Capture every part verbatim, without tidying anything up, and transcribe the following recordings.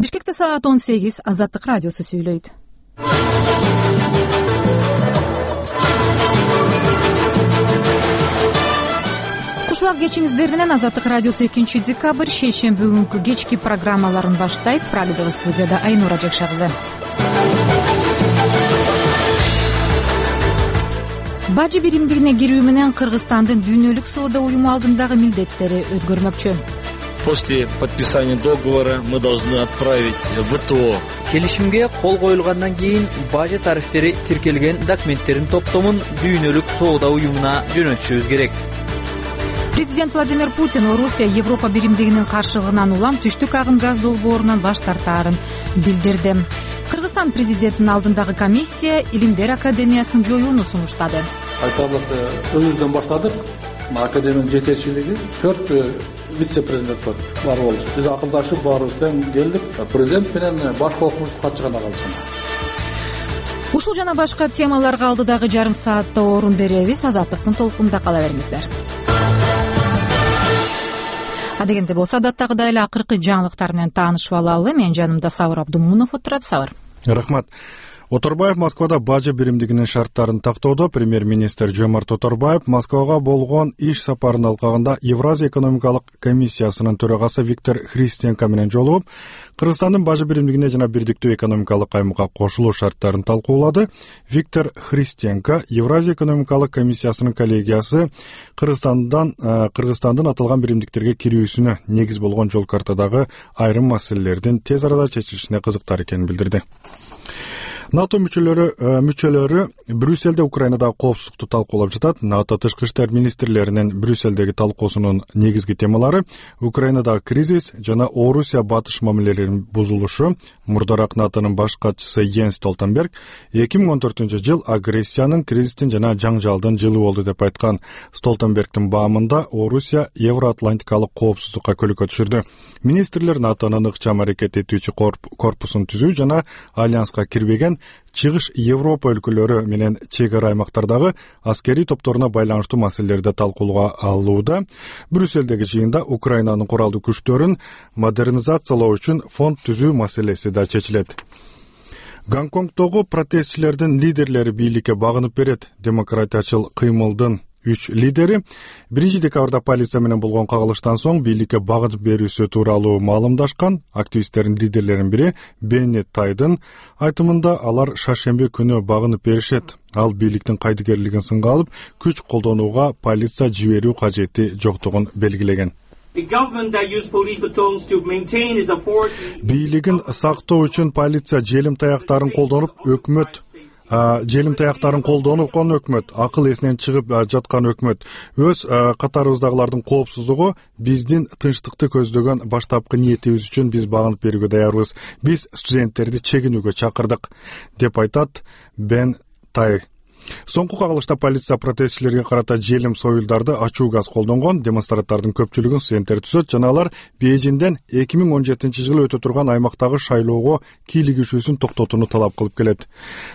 Бишкекте саат он сегиз. Азаттык радиосу сүйлөйт. Кушубак кечиңиздер менен Азаттык радиосу экинчи декабрь шейшемби күнкү кечки программаларын баштайт. Прагдагы студияда Айнура Жакшагызы. Бажы биримдигине кирүү менен Кыргызстандын дүйнөлүк соода уюму алдындагы милдеттери өзгөрмөкчү. После подписания договора мы должны отправить в ВТО. Келишимге кол коюлгандан кийин бажы тарифтери тиркелген документтердин топтомун дүйнөлүк соода уюмуна жөнөтүшүбүз керек. Президент Владимир Путин Орусия Европа биримдигинин каршылыгынан улам түштүк агым газ долбоорунан баш тартаарын билдирди. Кыргызстан президентинин алдындагы комиссия Илимдер академиясын жоюуну сунуштады. Айтарлык өзүбүздөн баштадык. Академиянын жетекчилиги төрт вице-президент бар болду. Биз акылдашып баарыбыз тең келдик. Президент менен баш кооkumуздун катчы гана калышына. Ушул жана башка темаларга алдыдагы жарым саатта орун беребиз. Азаттыктын толкунунда кала бериңиздер. Адегенде болсо адаттагыдай эле акыркы жаңылыктар менен таанышып алалы. Менин жанымда Сабыр Абдумунов отурат. Сабыр. Рахмат. Оторбаев Москвада бажы биримдигинин шарттарын тактоодо. Премьер-министр Жомарт Оторбаев Москвага болгон иш сапарынын алкагында Евразия экономикалык комиссиясынын төрагасы Виктор Христенко менен жолугуп, Кыргызстандын бажы биримдигине жана бирдиктүү экономикалык аймакка кошулуу шарттарын талкуулады. Виктор Христенко Евразия экономикалык комиссиясынын коллегиясы Кыргызстандан Кыргызстандын аталган биримдиктерге кирүүсүнө негиз болгон жол картадагы айрым маселелердин тез арада чечилишине кызыктар экенин билдирди. НАТО мүчөлөрү мүчөлөрү Брюссельде Украинадагы коопсуздукту талкуулап жатат. НАТО тышкы иштер министрлеринин Брюссельдеги талкуусунун негизги темалары Украинадагы кризис жана Орусия батыш мамилелеринин бузулушу. Мурдараак НАТОнун баш катчысы Йенс Столтенберг эки миң он төртүнчү жыл агрессиянын, кризистин жана жаңжалдын жылы болду деп айткан. Столтенбергдин баамында Орусия Евроатлантикалык коопсуздукка көлөкө түшүрдү. Министрлер НАТОнун ыкчам аракет этүүчү корпусун түзүү жана альянска кирбеген Чыгыш Европа өлкөлөрү менен чек ара аймактардагы аскерий топторуна байланыштуу маселелерди талкуулоого алууда. Брюссельдеги жыйында Украинанын куралдуу күчтөрүн модернизациялоо үчүн фонд түзүү маселеси да чечилет. Гонконгдогу протестчилердин лидерлери бийликке багынып берет. Демократиячыл кыймылдын үч лидери биринчи декабрда полиция менен болгон кагылыштан соң бийликке багынып берүүсү тууралуу маалымдашкан. Активисттердин лидерлеринин бири Бенни Тайдын айтымында алар шаршемби күнү багынып беришет. Ал бийликтин кайдыгерлигин сынга алып, күч колдонууга полиция жиберүү кажети жоктугун белгилеген. Бийлигин сактоо үчүн полиция желим таяктарын колдонуп, өкмөт желим таяктарын колдонукон өкмөт, акыл эсинен чыгып жаткан өкмөт. Өз катарыбыздагылардын коопсуздугу биздин тынчтыкты көздөгөн баштапкы ниетибиз үчүн биз багынып берүүгө даярбыз. Биз студенттерди чегинүүгө чакырдык, деп айтат Бен Тай. Соңку кагылышта полиция протестчилерге карата желим союлдарды ачуу газ колдонгон. Демонстранттардын көпчүлүгүн студенттер түзөт жана алар Бейжиңден эки миң он жетинчи жылы өтө турган аймактагы шайлоого кийлигишүүсүн токтотууну талап кылып келет.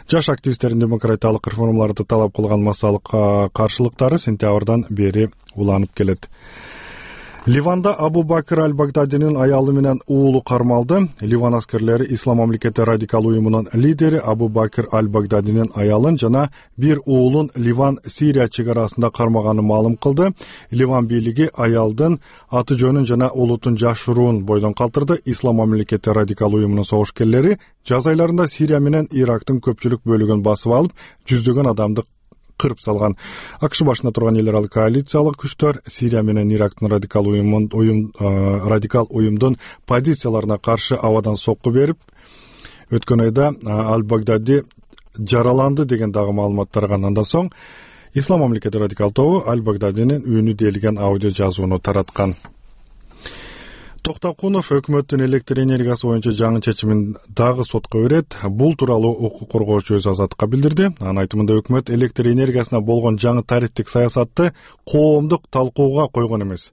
Жаш активисттердин демократиялык реформаларды талап кылган массалык каршылыктары сентябрдан бери уланып келет. Ливанда Абу Бакр аль-Багдадинин аялы менен уулу кармалды. Ливан аскерлери Ислам мамлекети радикал уюмунун лидери Абу Бакр аль-Багдадинин аялын жана бир уулун Ливан-Сирия чек арасында кармаганын маалым кылды. Ливан бийлиги аялдын аты жөнүн жана улутун жашыруун бойдон калтырды. Ислам мамлекети радикал уюмунун согушкерлери жаз айларында Сирия менен Ирактын көпчүлүк бөлүгүн басып алып, жүздөгөн адамды кырып салган. АКШ башында турган эл аралык коалициялык күчтөр Сирия менен Ирактын радикал уюмун уюм радикал уюмдун позицияларына каршы абадан сокку берип, өткөн айда Аль-Багдади жараланды деген дагы маалыматтар андан соң Ислам мамлекети радикал тобу Аль-Багдадинин үйүнү делген аудио жазууну тараткан. Токтокунов өкмөттүн электр энергиясы боюнча жаңы чечимин дагы сотко берет. Бул тууралуу укук коргоочу өз Азаттыкка билдирди. Анын айтымында өкмөт электр энергиясына болгон жаңы тарифтик саясатты коомдук талкууга койгон эмес.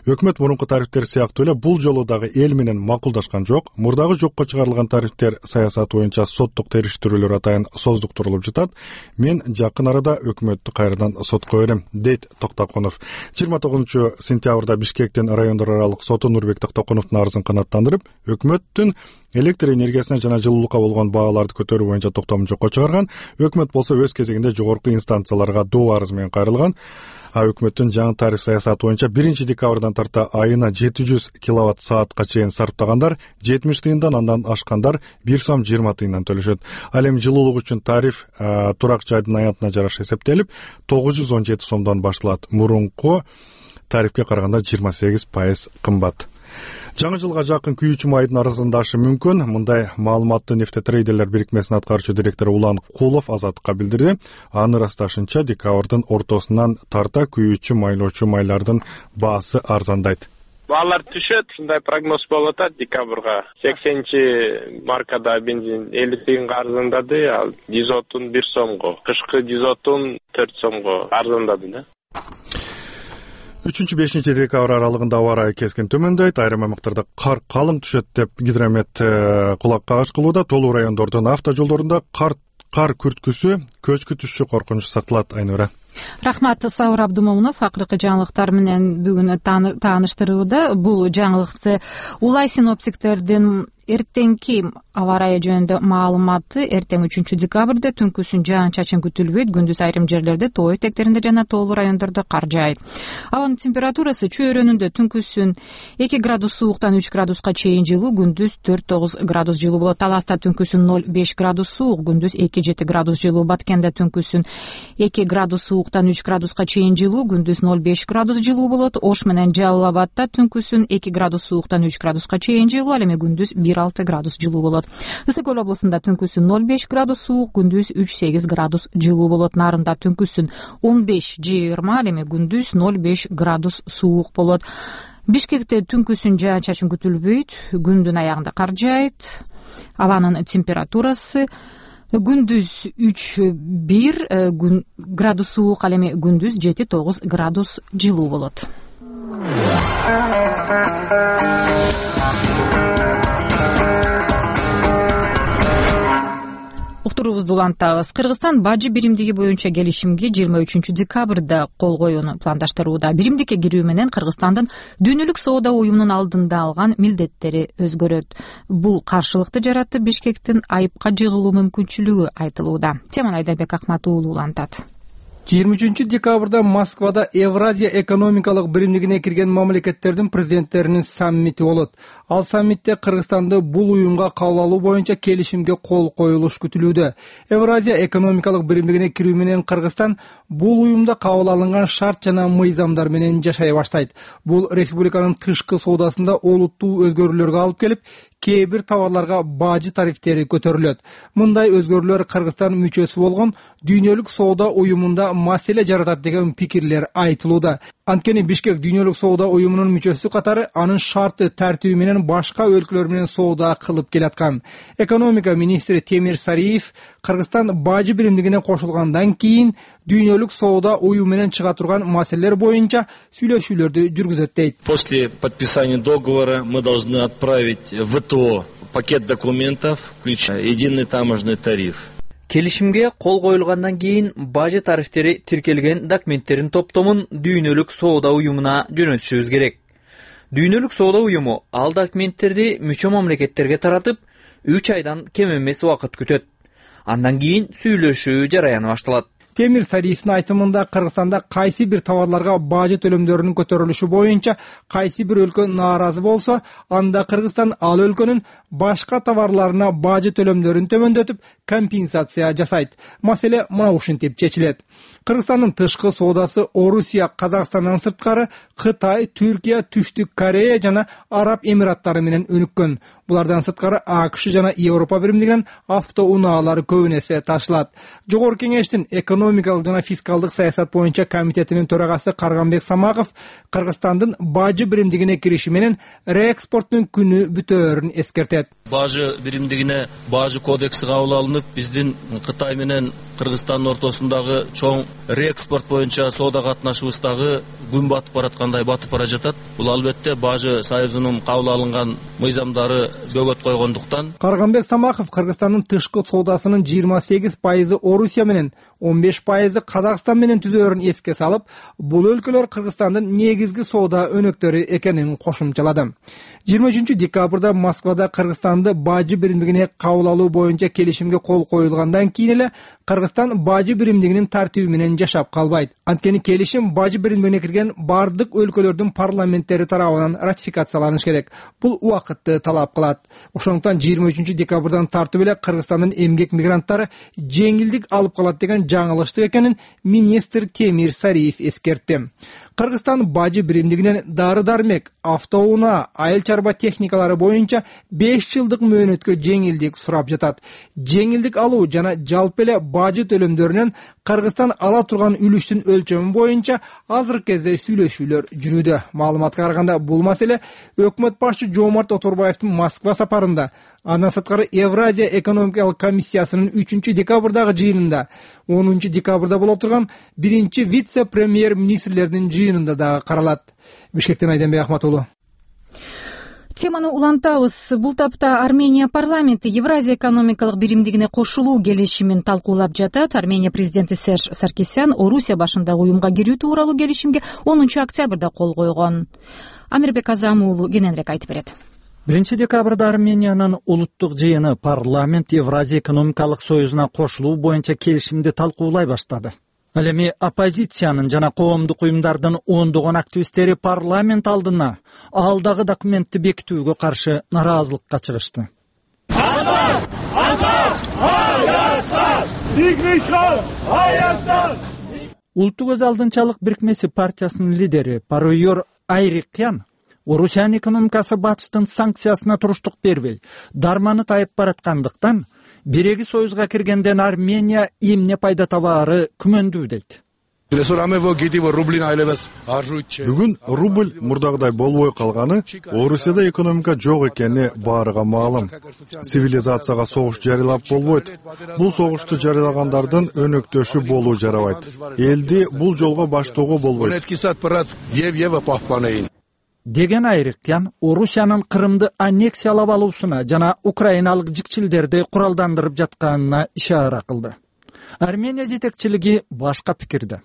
Өкмөт мурунку тарифтер сыяктуу эле бул жолу дагы эл менен макулдашкан жок. Мурдагы жокко чыгарылган тарифтер саясаты боюнча соттук териштирүүлөр атайын создуктурулуп жатат. Мен жакын арада өкмөттү кайрадан сотко берем, дейт Токтокунов. жыйырма тогузунчу сентябрда Бишкектин райондор аралык соту Нурбек Токтокуновдун арызын канааттандырып, өкмөттүн электр энергиясына жана жылуулукка болгон бааларды көтөрүү боюнча токтомун жокко чыгарган. Өкмөт болсо өз кезегинде жогорку инстанцияларга доо арыз менен кайрылган. А өкмөттүн жаңы тариф саясаты боюнча биринчи декабрдан тарта айына жети жүз киловатт саатка чейин сарптагандар жетимиш тыйындан, андан ашкандар бир сом жыйырма тыйындан төлөшөт. Ал эми жылуулук үчүн тариф турак жайдын аянтына жараша эсептелип тогуз жүз он жети сомдон башталат. Мурунку тарифке караганда жыйырма сегиз пайыз кымбат. Жаңы жылга жакын күйүүчү майдын арзандашы мүмкүн. Мындай маалыматты Нефтетрейдерлер бирикмесинин аткаруучу директору Улан Кулов Азаттыкка билдирди. Анын ырасташынча декабрдын ортосунан тарта күйүүчү майлоочу майлардын баасы арзандайт. Баалар түшөт, ушундай прогноз болуп атат декабрга. сексенчи маркада бензин элүү тыйынга арзандады, ал дизотун бир сомго, кышкы дизотун төрт сомго арзандады да. үчүнчү бешинчи декабрь аралыгында аба ырайы кескин төмөндөйт. Айрым аймактарда кар калың түшөт деп гидромет кулак кагыш кылууда. Толуу райондордун автожолдорунда кар кар күрткүсү, көчкү түшчү коркунучу сакталат. Айнура. Рахмат. Сауыр Абдумомунов акыркы жаңылыктар менен бүгүн тааныштырууда. Бул жаңылыкты улай синоптиктердин эртеңки аба ырайы жөнүндө маалыматы. Эртең үчүнчү декабрда түнкүсүн жаан-чачын күтүлбөйт. Күндүз айрым жерлерде тоо этектеринде жана тоолуу райондордо кар жаайт. Абанын температурасы чөйрөнүндө түнкүсүн эки градус сууктан үч градуска чейин жылуу, күндүз төрт тогуз градус жылуу болот. Таласта түнкүсүн ноль беш градус суук, күндүз эки жети градус жылуу. Баткенде түнкүсүн эки градус сууктан үч градуска чейин жылуу, күндүз ноль беш градус жылуу болот. Ош менен Жалал Абадта түнкүсүн эки градус сууктан үч градуска чейин жылуу, ал эми күндүз бир алты градус жылуу болот. Ысык көл облусунда түнкүсүн ноль беш градус суук, күндүз үч сегиз градус жылуу болот. Нарында түнкүсүн он беш жыйырма, ал эми күндүз ноль беш градус суук болот. Бишкекте түнкүсүн жаан-чачын күтүлбөйт, күндүн аягында кар жаайт. Абанын температурасы күндүз үч бир градус суук, ал эми күндүз жети тогуз градус жылуу болот. Уктуруубузду улантабыз. Кыргызстан бажы биримдиги боюнча келишимге жыйырма үчүнчү декабрда кол коюуну пландаштырууда. Биримдикке кирүү менен Кыргызстандын дүйнөлүк соода уюмунун алдында алган милдеттери өзгөрөт. Бул каршылыкты жаратты, Бишкектин айыпка жыгылуу мүмкүнчүлүгү айтылууда. Теманы Айдарбек Акмат уулу улантат. жыйырма үчүнчү декабрда Москвада Евразия экономикалык биримдигине кирген мамлекеттердин президенттеринин саммити болот. Ал саммитте Кыргызстанды бул уюмга кабыл алуу боюнча келишимге кол коюлуш күтүлүүдө. Евразия экономикалык биримдигине кирүү менен Кыргызстан бул уюмда кабыл алынган шарт жана мыйзамдар менен жашай баштайт. Бул республиканын тышкы соодасында олуттуу өзгөрүүлөргө алып келип, кээ бир товарларга бажы тарифтери көтөрүлөт. Мындай өзгөрүүлөр Кыргызстан мүчөсү болгон дүйнөлүк соода уюмунда маселе жаратат деген пикирлер айтылууда. Анткени Бишкек дүйнөлүк соода уюмунун мүчөсү катары анын шарты тартиби менен башка өлкөлөр менен соода кылып келаткан. Экономика министри Темир Сариев Кыргызстан бажы биримдигине кошулгандан кийин дүйнөлүк соода уюму менен чыга турган маселелер боюнча сүйлөшүүлөрдү жүргүзөт дейт. После подписания договора мы должны отправить в ВТО пакет документов, включая единый таможенный тариф. Келишимге кол коюлгандан кийин бажы тарифтери тиркелген документтердин топтомун дүйнөлүк соода уюмуна жөнөтүшүбүз керек. Дүйнөлүк соода уюму ал документтерди мүчө мамлекеттерге таратып, үч айдан кем эмес убакыт күтөт. Андан кийин сүйлөшүү жараяны башталат. Темир Сариевдин айтымында Кыргызстанда кайсы бир товарларга бажы төлөмдөрүнүн көтөрүлүшү боюнча кайсы бир өлкө нааразы болсо, анда Кыргызстан ал өлкөнүн башка товарларына бажы төлөмдөрүн төмөндөтүп, компенсация жасайт. Маселе мына ушинтип чечилет. Кыргызстандын тышкы соодасы Орусия, Казакстандан сырткары Кытай, Түркия, Түштүк Корея жана Араб Эмираттары менен өнүккөн. Булардан сырткары АКШ жана Европа биримдигинен автоунаалары көбүн эсе ташылат. Жогорку кеңештин экономикалык жана фискалдык саясат боюнча комитетинин төрагасы Карганбек Самагов Кыргызстандын бажы биримдигине кириши менен реэкспорттун күнү бүтөөрүн эскертет. бажы биримдигине бажы кодекси кабыл алынып, биздин Кытай менен Кыргызстандын ортосундагы чоң реэкспорт боюнча соода катнашыбыздагы күн батып бараткандай батып бара жатат. Бул албетте бажы союзунун кабыл алынган мыйзамдары бөгөт койгондуктан. Карганбек Самаков Кыргызстандын тышкы соодасынын жыйырма сегиз пайызы Орусия менен, он беш пайызы Казакстан менен түзөөрүн эске салып, бул өлкөлөр Кыргызстандын негизги соода өнөктөрү экенин кошумчалады. жыйырма үчүнчү декабрда Москвада Кыргызстанды бажы биримдигине кабыл алуу боюнча келишимге кол коюлгандан кийин эле Кыргызстан бажы биримдигинин тартиби менен жашап калбайт. Анткени келишим бажы биримдигине кирген бардык өлкөлөрдүн парламенттери тарабынан ратификацияланыш керек. Бул убакытты талап кылат. Ошондуктан жыйырма үчүнчү декабрдан тартып эле Кыргызстандын эмгек мигранттары жеңилдик алып калат деген жаңылыштык экенин министр Темир Сариев эскертти. Кыргызстан бажы биримдигинен дары-дармек, автоунаа, айыл чарба техникалары боюнча беш жылдык мөөнөткө жеңилдик сурап жатат. Жеңилдик алуу жана жалпы эле бажы төлөмдөрүнөн Кыргызстан ала турган үлүштүн өлчөмү боюнча азыркы кезде сүйлөшүүлөр жүрүүдө. Маалыматка караганда бул маселе өкмөт башчы Жомарт Оторбаевдин Москва сапарында, андан сырткары Евразия экономикалык комиссиясынын үчүнчү декабрдагы жыйынында, онунчу декабрда боло турган биринчи вице-премьер-министрлердин жыйынында дагы каралат. Бишкектен Айденбек Ахмат уулу. Теманы улантабыз. Бул тапта Армения парламенти Евразия экономикалык биримдигине кошулуу келишимин талкуулап жатат. Армения президенти Серж Саркисян Орусия башындагы уюмга кирүү тууралуу келишимге онунчу октябрда кол койгон. Амирбек Азам уулу кененирээк айтып берет. биринчи декабрда Армениянын улуттук жыйыны парламент Евразия экономикалык союзуна кошулуу боюнча келишимди талкуулай баштады. Ал эми оппозициянын жана коомдук уюмдардын ондогон активисттери парламент алдына алдагы документти бекитүүгө каршы нараазылыкка чыгышты. Улуттук өз алдынчалык бирикмеси партиясынын лидери Паройор Айрикян Орусиянын экономикасы батыштын санкциясына туруштук бербей, дарманы тайып бараткандыктан биреги союзга киргенден Армения эмне пайда табаары күмөндүү дейт. Бүгүн рубль мурдагыдай болбой калганы Орусияда экономика жок экени баарыга маалым. Цивилизацияга согуш жарыялап болбойт. Бул согушту жарыялагандардын өнөктөшү болуу жарабайт. Элди бул жолго баштоого болбойт деген Айрикян Орусиянын Крымды аннексиялап алуусуна жана украиналык жикчилдерди куралдандырып жатканына ишара кылды. Армения жетекчилиги башка пикирде.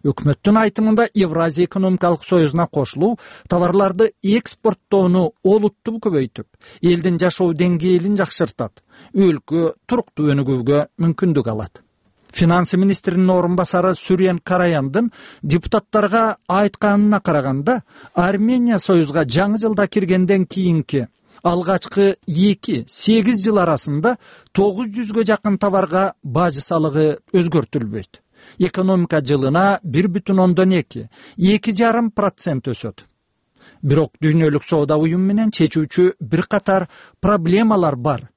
Өкмөттүн айтымында Евразия экономикалык союзуна кошулуу товарларды экспорттоону олуттуу көбөйтүп, элдин жашоо деңгээлин жакшыртат, өлкө туруктуу өнүгүүгө мүмкүндүк алат. Финансы министринин орун басары Сүрен Караяндын депутаттарга айтканына караганда, Армения союзга жаңы жылда киргенден кийинки алгачкы эки сегиз жыл арасында тогуз жүзгө жакын товарга бажы салыгы өзгөртүлбөйт. Экономика жылына бир бүтүн ондон эки, эки жарым процент өсөт. Бирок дүйнөлүк соода уюму менен чечүүчү бир катар проблемалар бар.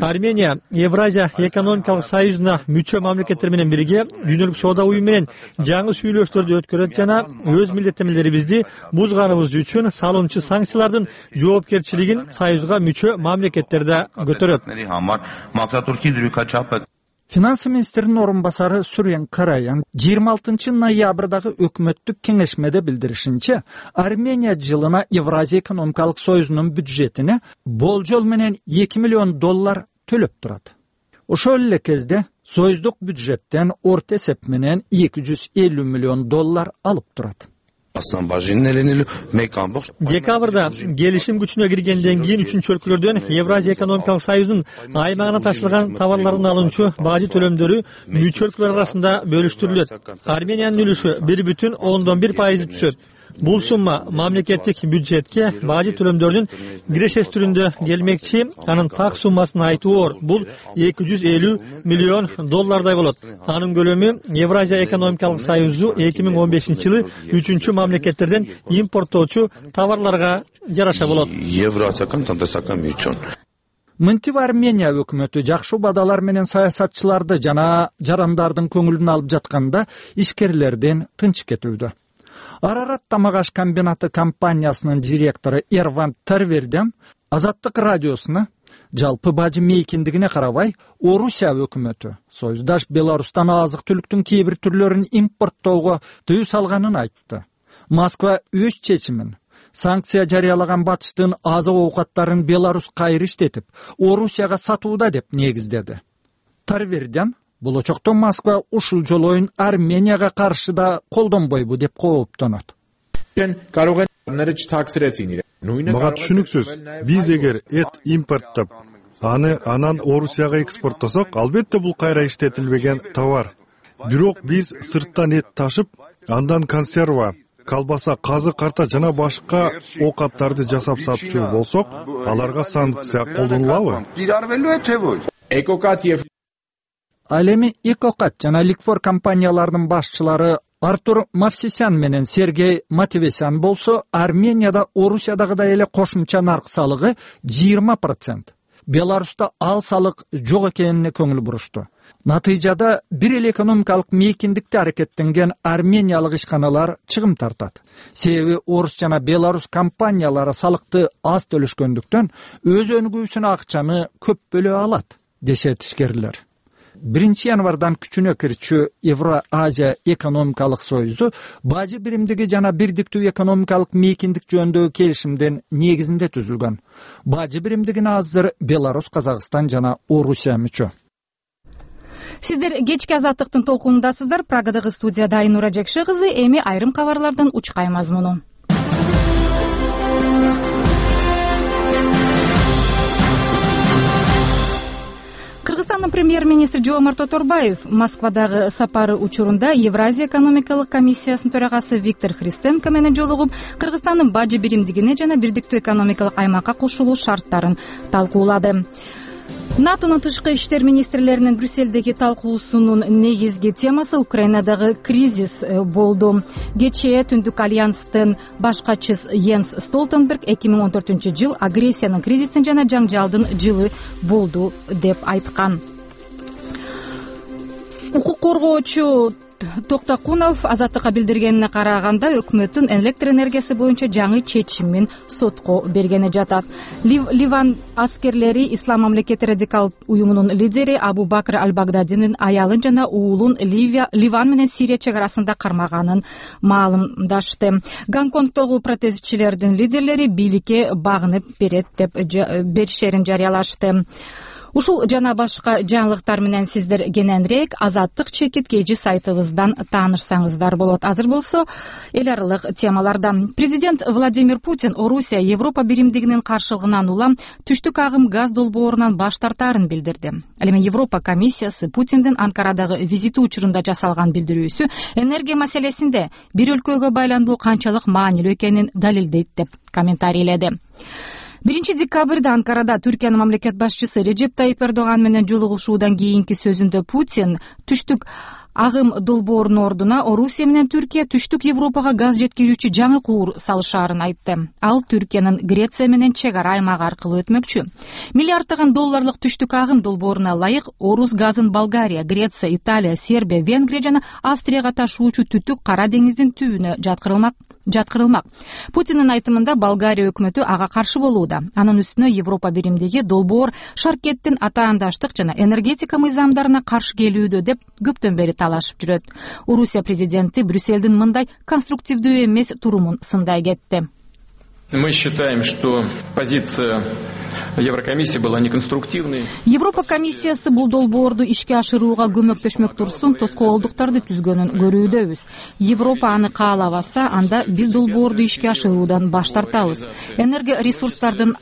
Армения Евразия экономикалык союзуна мүчө мамлекеттер менен бирге дүйнөлүк соода уюму менен жаңы сүйлөшүүлөрдү өткөрөт жана өз милдеттенмелерибизди бузганыбыз үчүн салынчу санкциялардын жоопкерчилигин союзга мүчө мамлекеттер да көтөрөт. Финансы министринин орун басары Сүрен Караян жыйырма алтынчы ноябрдагы өкмөттүк кеңешмеде билдиришинче, Армения жылына Евразия экономикалык союзунун бюджетине болжол менен эки миллион доллар төлөп турат. Ошол эле кезде союздук бюджеттен орто эсеп менен эки жүз элүү миллион доллар алып турат. Декабрда келишим күчүнө киргенден кийин үчүнчү өлкөлөрдөн Евразия экономикалык союзунун аймагына ташылган товарлардын алынчу бажы төлөмдөрү мүчө өлкөлөр арасында бөлүштүрүлөт. Армениянын үлүшү бир бүтүн ондон бир пайызды түзөт. Бул сумма мамлекеттик бюджетке бажы төлөмдөрүнүн кирешеси түрүндө келмекчи. Анын так суммасын айтуу оор. Бул эки жүз элүү миллион доллардай болот. Анын көлөмү Евразия экономикалык союзу эки миң он бешинчи жылы үчүнчү мамлекеттерден импорттоочу товарларга жараша болот. Мынтип Армения өкмөтү жакшы убадалар менен саясатчыларды жана жарандардын көңүлүн алып жатканда ишкерлерден тынч кетүүдө. Арарат тамак аш комбинаты компаниясынын директору Эрван Тарверден Азаттык радиосуна жалпы бажы мейкиндигине карабай Орусия өкмөтү Союздаш Беларустан азык түлүктүн кээ бир түрлөрүн импорттоого тыюу салганын айтты. Москва өз чечимин санкция жарыялаган батыштын азык оокаттарын Беларусь кайра иштетип, Орусияга сатууда деп негиздеди. Тарверден болочокто Москва ушул жолоюн Арменияга каршы да колдонбойбу деп кооптонот. Мага түшүнүксүз, биз эгер эт импорттоп, аны анан Орусияга экспорттосок, албетте бул кайра иштетилбеген товар. Бирок биз сырттан эт ташып, андан консерва, колбаса, казык, карта жана башка оокаттарды жасап сатчу болсок, аларга санкция колдонулабы? Ал эми Экокат жана Ликфор компанияларынын башчылары Артур Мавсисян менен Сергей Матевесян болсо, Арменияда Орусиядагыдай эле кошумча нарк салыгы жыйырма процент. Беларуста ал салык жок экенине көңүл бурушту. Натыйжада бир эле экономикалык мейкиндикте аракеттенген армениялык ишканалар чыгым тартат. Себеби Орус жана Беларус компаниялары салыкты аз төлөшкөндүктөн өз өнүгүүсүнө акчаны көп бөлө алат, дешет ишкерлер. биринчи январдан күчүнө кирчү Евро-Азия экономикалык союзу бажы биримдиги жана бирдиктүү экономикалык мейкиндик жөнүндөгү келишимдин негизинде түзүлгөн. Бажы биримдигине азыр Беларусь, Казакстан жана Орусия мүчө. Сиздер кечки азаттыктын толкунундасыздар. Прагадагы студияда Айнура Жекше кызы. Эми айрым кабарлардан учкай мазмуну. Кыргызстандын премьер-министри Жомарт Оторбаев Москвадагы сапары учурунда Евразия экономикалык комиссиясынын төрагасы Виктор Христенко менен жолугуп, Кыргызстандын бажы биримдигине жана бирдиктүү экономикалык аймакка кошулуу шарттарын талкуулады. НАТОнун тышкы иштер министрлеринин Брюссельдеги талкуусунун негизги темасы Украинадагы кризис болду. Кечээ Түндүк альянстын баш катчысы Йенс Столтенберг эки миң он төртүнчү жыл агрессиянын, кризистин жана жаңжалдын жылы болду деп айткан. Укук коргоочу Токтакунов Азаттыкка билдиргенине караганда, өкмөттүн электр энергиясы боюнча жаңы чечимин сотко бергени жатат. Лив, Ливан аскерлери Ислам мамлекети радикал уюмунун лидери Абу Бакр Аль-Багдадинин аялын жана уулун Ливия, Ливан менен Сирия чек арасында кармаганын маалымдашты. Гонконгдогу протестчилердин лидерлери бийликке багынып берет деп беришерин жарыялашты. Ушул жана башка жаңылыктар менен сиздер кененирээк Азаттык чекит кежи сайтыбыздан таанышсаңыздар болот. Азыр болсо эл аралык темалардан. Президент Владимир Путин Орусия Европа биримдигинин каршылыгынан улам түштүк агым газ долбоорунан баш тартаарын билдирди. Ал эми Европа комиссиясы Путиндин Анкарадагы визити учурунда жасалган билдирүүсү энергия маселесинде бир өлкөгө байлануу канчалык маанилүү экенин далилдейт деп комментарийледи. биринчи декабрда Анкарада Түркиянын мамлекет башчысы Режеп Тайип Эрдоган менен жолугушуудан кийинки сөзүндө Путин түштүк агым долбоорунун ордуна Орусия менен Түркия түштүк Европага газ жеткирүүчү жаңы куур салышаарын айтты. Ал Түркиянын Греция менен чек ара аймагы аркылуу өтмөкчү. Миллиарддаган долларлык түштүк агым долбооруна ылайык Орус газын Болгария, Греция, Италия, Сербия, Венгрия жана Австрияга ташуучу түтүк Кара деңиздин түбүнө жаткырылмак. жаткырылмак. Путиндин айтымында Болгария өкмөтү ага каршы болууда. Анын үстүнө Европа биримдиги долбоор шаркеттин атаандаштык жана энергетика мыйзамдарына каршы келүүдө деп көптөн бери талашып жүрөт. Орусия президенти Брюссельдин мындай конструктивдүү эмес турумун сындай кетти. Мы считаем, что позиция Еврокомиссия была неконструктивной. Европа комиссиясы бул долбоорду ишке ашырууга көмөктөшмөк турсун тоскоолдуктарды түзгөнүн көрүүдөбүз. Европа аны каалабаса, анда биз долбоорду ишке ашыруудан баш тартабыз. Энергия ресурстардын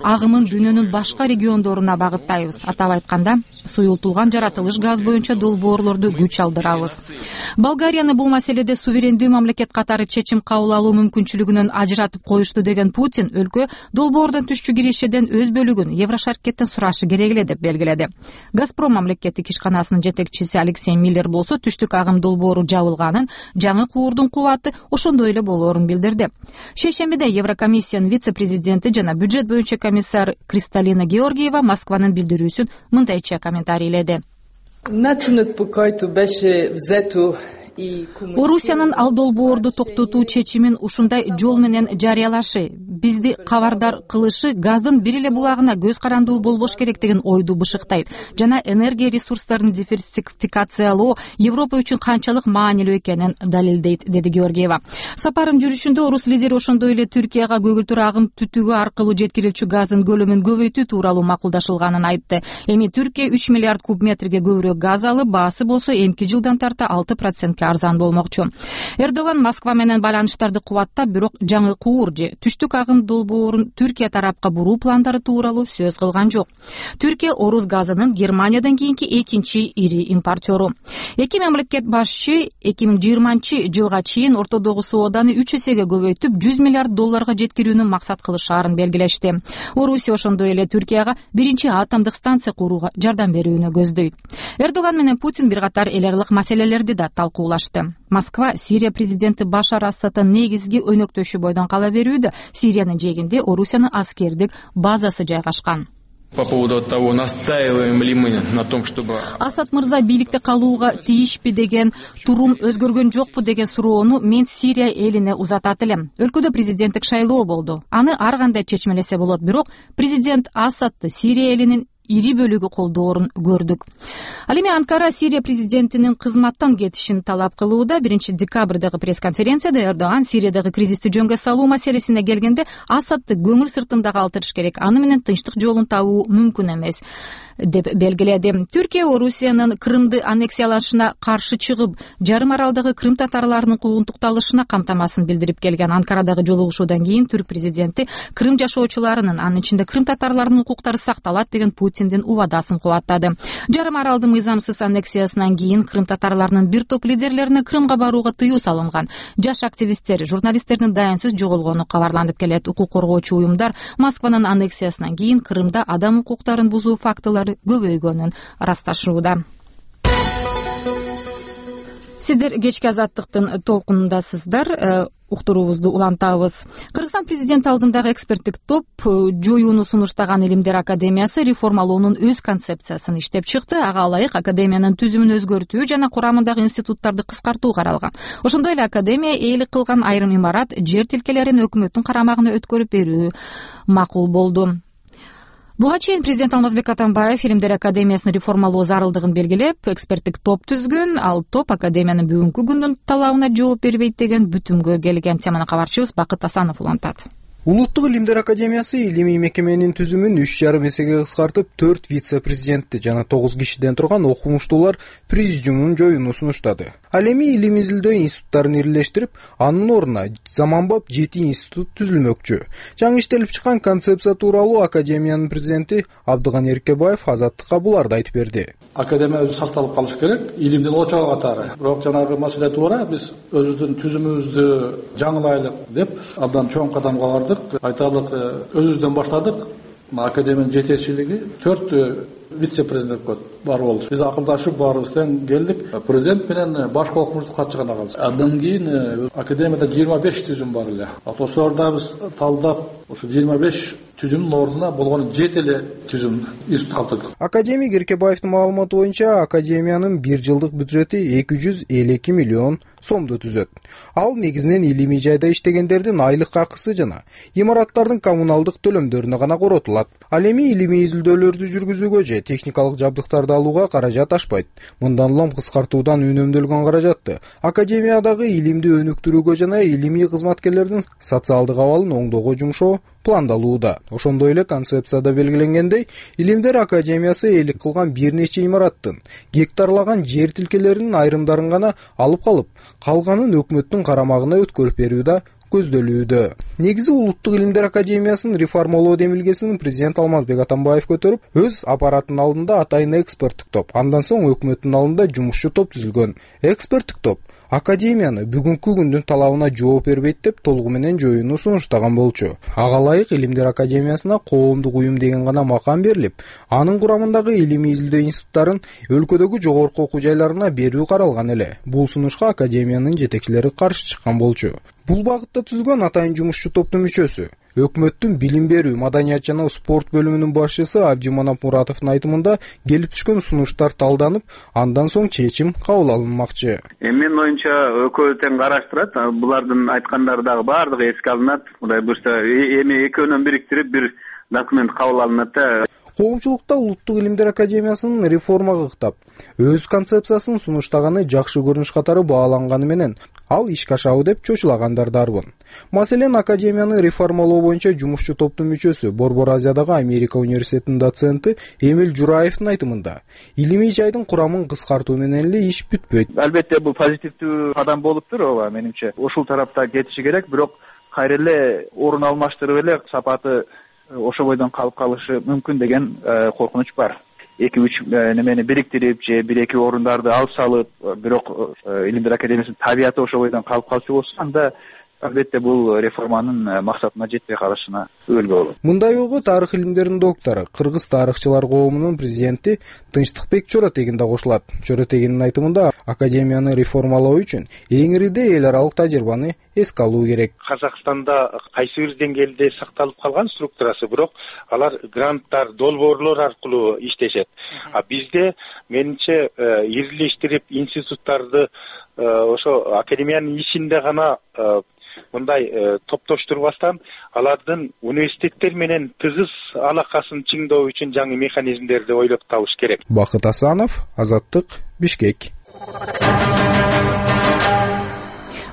агымын дүйнөнүн башка региондоруна багыттайбыз. Атап айтканда, суюлтулган жаратылыш газ боюнча долбоорлорду күч алдырабыз. Болгарияны бул маселеде суверендүү мамлекет катары чечим кабыл алуу мүмкүнчүлүгүнөн ажыратып коюшту деген Путин өлкө долбоордон түшчү кирешеден өз бөлүгүн Еврошаркеттен сурашы керек эле деп белгиледи. Газпром мамлекеттик ишканасынын жетекчиси Алексей Миллер болсо түштүк агым долбоору жабылганын, жаңы куурдун кубаты ошондой эле болоорун билдирди. Шейшембиде Еврокомиссиянын вице-президенти жана бюджет боюнча комиссар Кристалина Георгиева Москванын билдирүүсүн мындайча комментарийледи. Начинът, по който беше взето Орусиянын ал долбоорду токтотуу чечимин ушундай жол менен жарыялашы, бизди кабардар кылышы газдын бир эле булагына көз карандуу болбош керек деген ойду бышыктайт жана энергия ресурстарын диверсификациялоо Европа үчүн канчалык маанилүү экенин далилдейт, деди Георгиева. Сапарынын жүрүшүндө орус лидери ошондой эле Түркияга көгүлтүр агым түтүгү аркылуу жеткирилчү газдын көлөмүн көбөйтүү тууралуу макулдашылганын айтты. Эми Түркия үч миллиард куб метрге көбүрөөк газ алып, баасы болсо эмки жылдан тарта алты процентке арзан болмокчу. Эрдоган Москва менен байланыштарды кубаттап, бирок жаңы куур же түштүк агым долбоорун Түркия тарапка буруу пландары тууралуу сөз кылган жок. Түркия орус газынын Германиядан кийинки экинчи ири импортеру. Эки мамлекет башчы эки миң жыйырманчы жылга чейин ортодогу сооданы үч эсеге көбөйтүп, жүз миллиард долларга жеткирүүнү максат кылышаарын белгилешти. Орусия ошондой эле Түркияга биринчи атомдук станция курууга жардам берүүнү көздөйт. Эрдоган менен Путин бир катар эл аралык маселелерди да талкуулашты. Москва Сирия президенти Башар Асадтын негизги өнөктөшү бойдон кала берүүдө. Сириянын жээгинде Орусиянын аскердик базасы жайгашкан. По поводу того, настаиваем ли мы на том, чтобы... Асад мырза бийликте калууга тийишпи деген турум өзгөргөн жокпу деген суроону мен Сирия элине узатат элем. Өлкөдө президенттик шайлоо болду. Аны ар кандай чечмелесе болот, бирок президент Асадты Сирия элинин ири бөлүгү колдоорун көрдүк. Ал эми Анкара Сирия президентинин кызматтан кетишин талап кылууда. Биринчи декабрдагы пресс-конференцияда Эрдоган Сириядагы кризисти жөнгө салуу маселесине келгенде Асадты көңүл сыртында калтырыш керек, аны менен тынчтык жолун табуу мүмкүн эмес деп белгиледи. Түркия Орусиянын Крымды аннексиялашына каршы чыгып, жарым аралдагы Крым татарларынын куугунтукталышына камтамасын билдирип келген. Анкарадагы жолугушуудан кийин түрк президенти Крым жашоочуларынын, анын ичинде Крым татарларынын укуктары сакталат деген Путиндин убадасын кубаттады. Жарым аралдын мыйзамсыз аннексиясынан кийин Крым татарларынын бир топ лидерлерине Крымга барууга тыюу салынган. Жаш активисттер, журналисттердин дайынсыз жоголгону кабарланып келет. Укук коргоочу уюмдар Москванын аннексиясынан кийин Крымда адам укуктарын бузуу фактылары көбөйгөнүн ырасташууда. Сиздер кечки азаттыктын толкунундасыздар. Уктуруубузду улантабыз. Кыргызстан президенти алдындагы эксперттик топ жоюуну сунуштаган Илимдер академиясы реформалоонун өз концепциясын иштеп чыкты. Ага ылайык академиянын түзүмүн өзгөртүү жана курамындагы институттарды кыскартуу каралган. Ошондой эле академия ээлик кылган айрым имарат, жер тилкелерин өкмөттүн карамагына өткөрүп берүү макул болду. Буга чейин президент Алмазбек Атамбаев Илимдер академиясын реформалоо зарылдыгын белгилеп, эксперттик топ түзгөн. Ал топ академиянын бүгүнкү күндүн талабына жооп бербейт деген бүтүмгө келген. Теманы кабарчыбыз Бакыт Асанов улантат. Улуттук илимдер академиясы илимий мекеменин түзүмүн үч жарым эсеге кыскартып, төрт вице-президентти жана тогуз кишиден турган окумуштуулар президиумун жоюуну сунуштады. Ал эми илим изилдөө институттарын ирилештирип, анын ордуна заманбап жети институт түзүлмөкчү. Жаңы иштелип чыккан концепция тууралуу академиянын президенти Абдыган Эркебаев Азаттыкка буларды айтып берди. Академия өзү сакталып калыш керек, илимдин очогу катары. Бирок жанагы маселе туура, биз өзүбүздүн түзүмүбүздү жаңылайлык деп абдан чоң кадамга бардык. Айталық, өзүбүздөн баштадык. Академиянын жетекчилиги төрт вице-президент бар болду. Биз акылдашып баарыбыздан келдик. Президент менен башкы окумуштуу катчы гана калды. Андан кийин академияда жыйырма беш түзүм бар эле. Ошолорду биз талдап, ошо жыйырма беш түзүмдүн ордуна болгону жети эле түзүм институт калтырдык. Академик Эркебаевдин маалыматы боюнча, академиянын бир жылдык бюджети эки жүз элүү эки миллион сомду түзөт. Ал негизинен илимий жайда иштегендердин айлык акысы жана имараттардын коммуналдык төлөмдөрүнө гана коротулат. Ал эми илимий изилдөөлөрдү жүргүзүүгө же техникалык жабдыктарды алууга каражат ашпайт. Мындан улам кыскартуудан үнөмдөлгөн каражатты академиядагы илимди өнүктүрүүгө жана илимий кызматкерлердин социалдык абалын оңдоого жумшоо пландалууда. Ошондой эле концепцияда белгиленгендей, Илимдер академиясы ээлик кылган бир нече имараттын гектарлаган жер тилкелеринин айрымдарын гана алып калып, калганын өкмөттүн карамагына өткөрүп берүүдө көздөлүүдө. Негизи Улуттук илимдер академиясынын реформалоо демилгесин президент Алмазбек Атамбаев көтөрүп, өз аппараттын алдында атайын эксперттик топ, андан соң өкмөттүн алдында жумушчу топ түзүлгөн. Эксперттик топ академияны бүгүнкү күндүн талабына жооп бербейт деп толугу менен жоюуну сунуштаган болчу. Ага ылайык Илимдер академиясына коомдук уюм деген гана макам берилип, анын курамындагы илимий изилдөө институттарын өлкөдөгү жогорку окуу жайларына берүү каралган эле. Бул сунушка академиянын жетекчилери каршы чыккан болчу. Бул багытта түзүлгөн атайын жумушчу топтун мүчөсү өкмөттүн билим берүү, маданият жана спорт бөлүмүнүн башчысы Абдиманап Муратовдун айтымында келип түшкөн сунуштар талданып, андан соң чечим кабыл алынмакчы. Менин оюмча экөө тең караштырат. Булардын айткандары дагы баардыгы эске алынат. Кудай буйрса эми экөөнөн бириктирип бир документ кабыл алынат да. Коомчулукта Улуттук илимдер академиясынын реформага ыктап, өз концепциясын сунуштаганы жакшы көрүнүш катары бааланганы менен ал ишке ашабы деп чочулагандар дарбын. Маселен, академияны реформалоо боюнча жумушчу топтун мүчөсү Борбор Азиядагы Америка университетинин доценти Эмил Жураевдин айтымында, илимий жайдын курамын кыскартуу менен эле иш бүтпөйт. Албетте бул позитивдүү кадам болуптур, ооба, менимче. Ушул тарапта кетиши керек, бирок кайра эле орун алмаштырып эле сапаты ошо бойдон калып калышы мүмкүн деген коркунуч бар. эки үч немени бириктирип же бир эки орундарды алып салып, бирок илимдер академиясынын табияты ошо бойдон калып калчу болсо, анда албетте бул реформанын максатына жетпей калышына өбөлгө болот. Мындай ойго тарых илимдеринин доктору, Кыргыз тарыхчылар коомунун президенти Тынчтыкбек Чоротегин да кошулат. Чоротегиндин айтымында, академияны реформалоо үчүн эң ириде эл аралык тажрыйбаны эске алуу керек. Казакстанда кайсы бир деңгээлде сакталып калган структурасы, бирок алар гранттар, долбоорлор аркылуу иштешет. А бизде менимче ирилештирип институттарды ошо академиянын ичинде гана мындай топтоштурбастан, алардын университеттер менен тыгыз алакасын чыңдоо үчүн жаңы механизмдерди ойлоп табыш керек. Бакыт Асанов, Азаттык, Бишкек.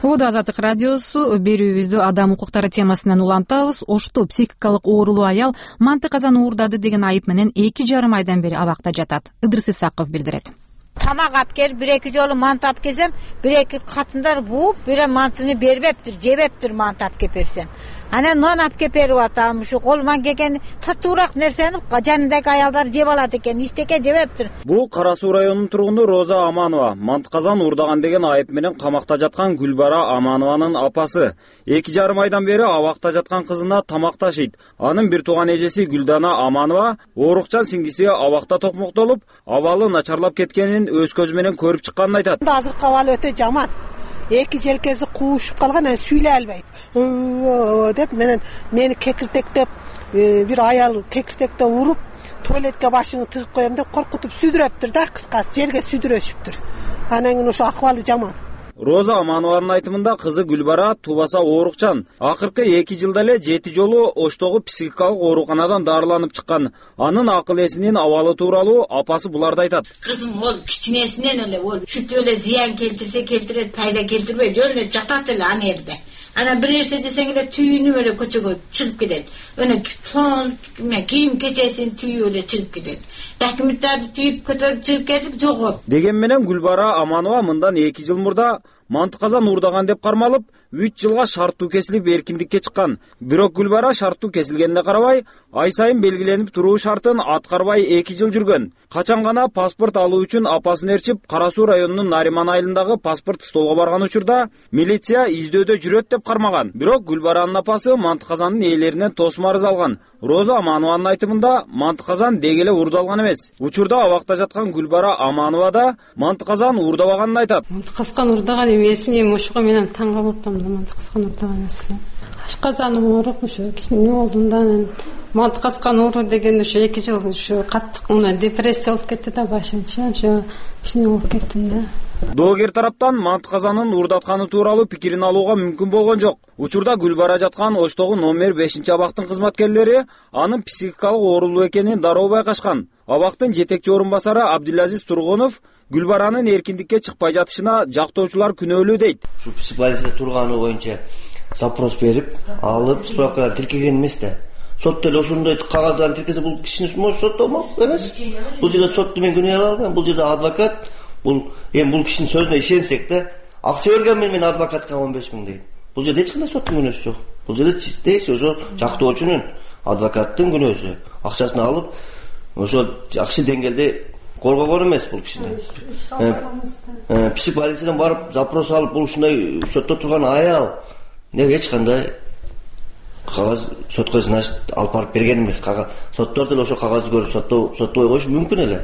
Ода Азаттык радиосу берүүбүздү адам укуктары темасынан улантабыз. Ошто психикалык оорулуу аял манты казан уурдады деген айып менен эки жарым айдан бери абакта жатат. Ыдырыс Исаков билдирет. Тамак алып келип, бир эки жолу манты алып келсем, бир эки катындар бууп, бир мантыны бербептир, жебептир манты алып келип берсем. Анан нон алып келип берип атам, ушу колуман келген татуураак нерсени жанындагы аялдар жеп алат экен, истеке жебептир. Бул Кара Суу районунун тургуну Роза Аманова, манты казан уурдаган деген айып менен камакта жаткан Гүлбара Аманованын апасы. эки жарым айдан бери абакта жаткан кызына тамак ташыйт. Анын бир тууган эжеси Гүлдана Аманова оорукчан сиңдиси абакта токмоктолуп, абалы начарлап кеткенин өз көзү менен көрүп чыкканын айтат. Азыркы абалы өтө жаман. Эки желкеси куушуп калган, сүйлөй албайт деп менен мени кекиртектеп, бир аял кекиртектеп уруп, туалетке башыңы тыгып коем деп коркутуп сүдүрөптүр да, кыскасы жерге сүдүрөшүптүр. Анан кийин ошо акыбалы жаман. Роза Аманованын айтымында кызы Гүлбара тубаса оорукчан. Акыркы эки жылда эле жети жолу Оштогу психикалык ооруканадан дарыланып чыккан. Анын акыл эсинин абалы тууралуу апасы буларды айтат. Кызым ол кичинесинен эле ол сүт эле зыян келтирсе келтирет, пайда келтирбей жөн эле жатат эле аны жерде. Анан бир нерсе десең эле түйүнүп эле көчөгө чыгып кетет. Өне фон кийим кечесин түйүп эле чыгып кетет. Документтарды түйүп көтөрүп чыгып кетип жогот. Деген менен Гүлбара Аманова мындан эки жыл мурда манты казан уурдаган деп кармалып, үч жылга шарттуу кесилип эркиндикке чыккан. Бирок Гүлбара шарттуу кесилгенине карабай, ай сайын белгиленип туруу шартын аткарбай эки жыл жүргөн. Качан гана паспорт алуу үчүн апасын ээрчип, Кара Суу районунун Нариман айылындагы паспорт столго барган учурда милиция издөөдө жүрөт деп кармаган. Бирок Гүлбаранын апасы манты казандын ээлеринен тосум арыз алган. Роза Аманованын айтымында манты казан деги эле уурдалган эмес. Учурда абакта жаткан Гүлбара Аманова да манты казан уурдабаганын айтат. Манты казан уурдаган эмес, мен ошого менен таң калып атам да, манты казан уурдаган эмес. Ашказаным ооруп, ошо кичине болдум да, манты казан оору деген ошо эки жыл ошо каттык мына депрессия болуп кетти да башымча, ошо кичине болуп кеттим да. Доогер тараптан манты казанын уурдатканы тууралуу пикирин алууга мүмкүн болгон жок. Учурда Гүлбара жаткан Оштогу номер бешинчи абактын кызматкерлери анын психикалык оорулуу экенин дароо байкашкан. Абактын жетекчи орун басары Абдулазиз Тургунов Гүлбаранын эркиндикке чыкпай жатышына жактоочулар күнөөлүү дейт. Ушу психбольницада турганы боюнча запрос берип, алып справкаларды тиркеген эмес да. Сот деле ошондой кагаздарды тиркесе бул кишини может соттолмок эмес. Бул жерде сотто мен күнөө ала албайм. Бул жерде адвокат, бул эми бул кишинин сөзүнө ишенсек да, акча берген мен мен адвокатка он беш миң дейт. Бул жерде эч кандай соттун күнөөсү жок. Бул жерде дейси ошо жактоочунун, адвокаттын күнөөсү. Акчасын алып, ошо жакшы деңгээлде коргогон эмес бул кишини. Психбольницадан барып запрос алып, бул ушундай сотто турган аял неге эч кандай кагаз сотко значит алып барып берген эмес. Соттор деле ошо кагазды көрүп сотто соттобой коюшу мүмкүн эле.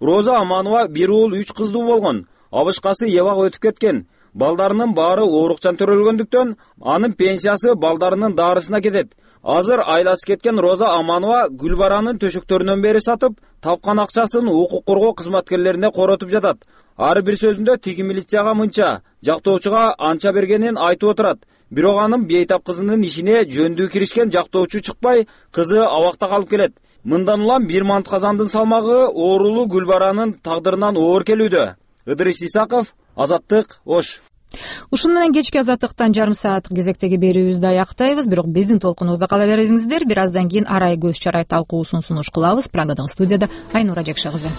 Роза Аманова бир уул үч кыздуу болгон. Абышкасы эбак өтүп кеткен. балдарынын баары оорукчан төрөлгөндүктөн анын пенсиясы балдарынын дарысына кетет. Азыр айласы кеткен Роза Аманова Гүлбаранын төшөктөрүнөн бери сатып, тапкан акчасын укук коргоо кызматкерлерине коротуп жатат. Ар бир сөзүндө тиги милицияга мынча, жактоочуга анча бергенин айтып отурат. Бирок анын бейтап кызынын ишине жөндүү киришкен жактоочу чыкпай, кызы абакта калып келет. Мындан улам бир мант казандын салмагы оорулуу Гүлбаранын тагдырынан оор келүүдө. Ыдырыс Исаков, Азаттык, Ош. Ушуну менен кечки Азаттыктан жарым саат кезектеги берүүбүздү аяктайбыз. Бирок биздин толкунубузда кала бериңиздер. Бир аздан кийин арай көз чарай талкуусун сунуш кылабыз. Прагадагы студияда Айнура Жакшы кызы.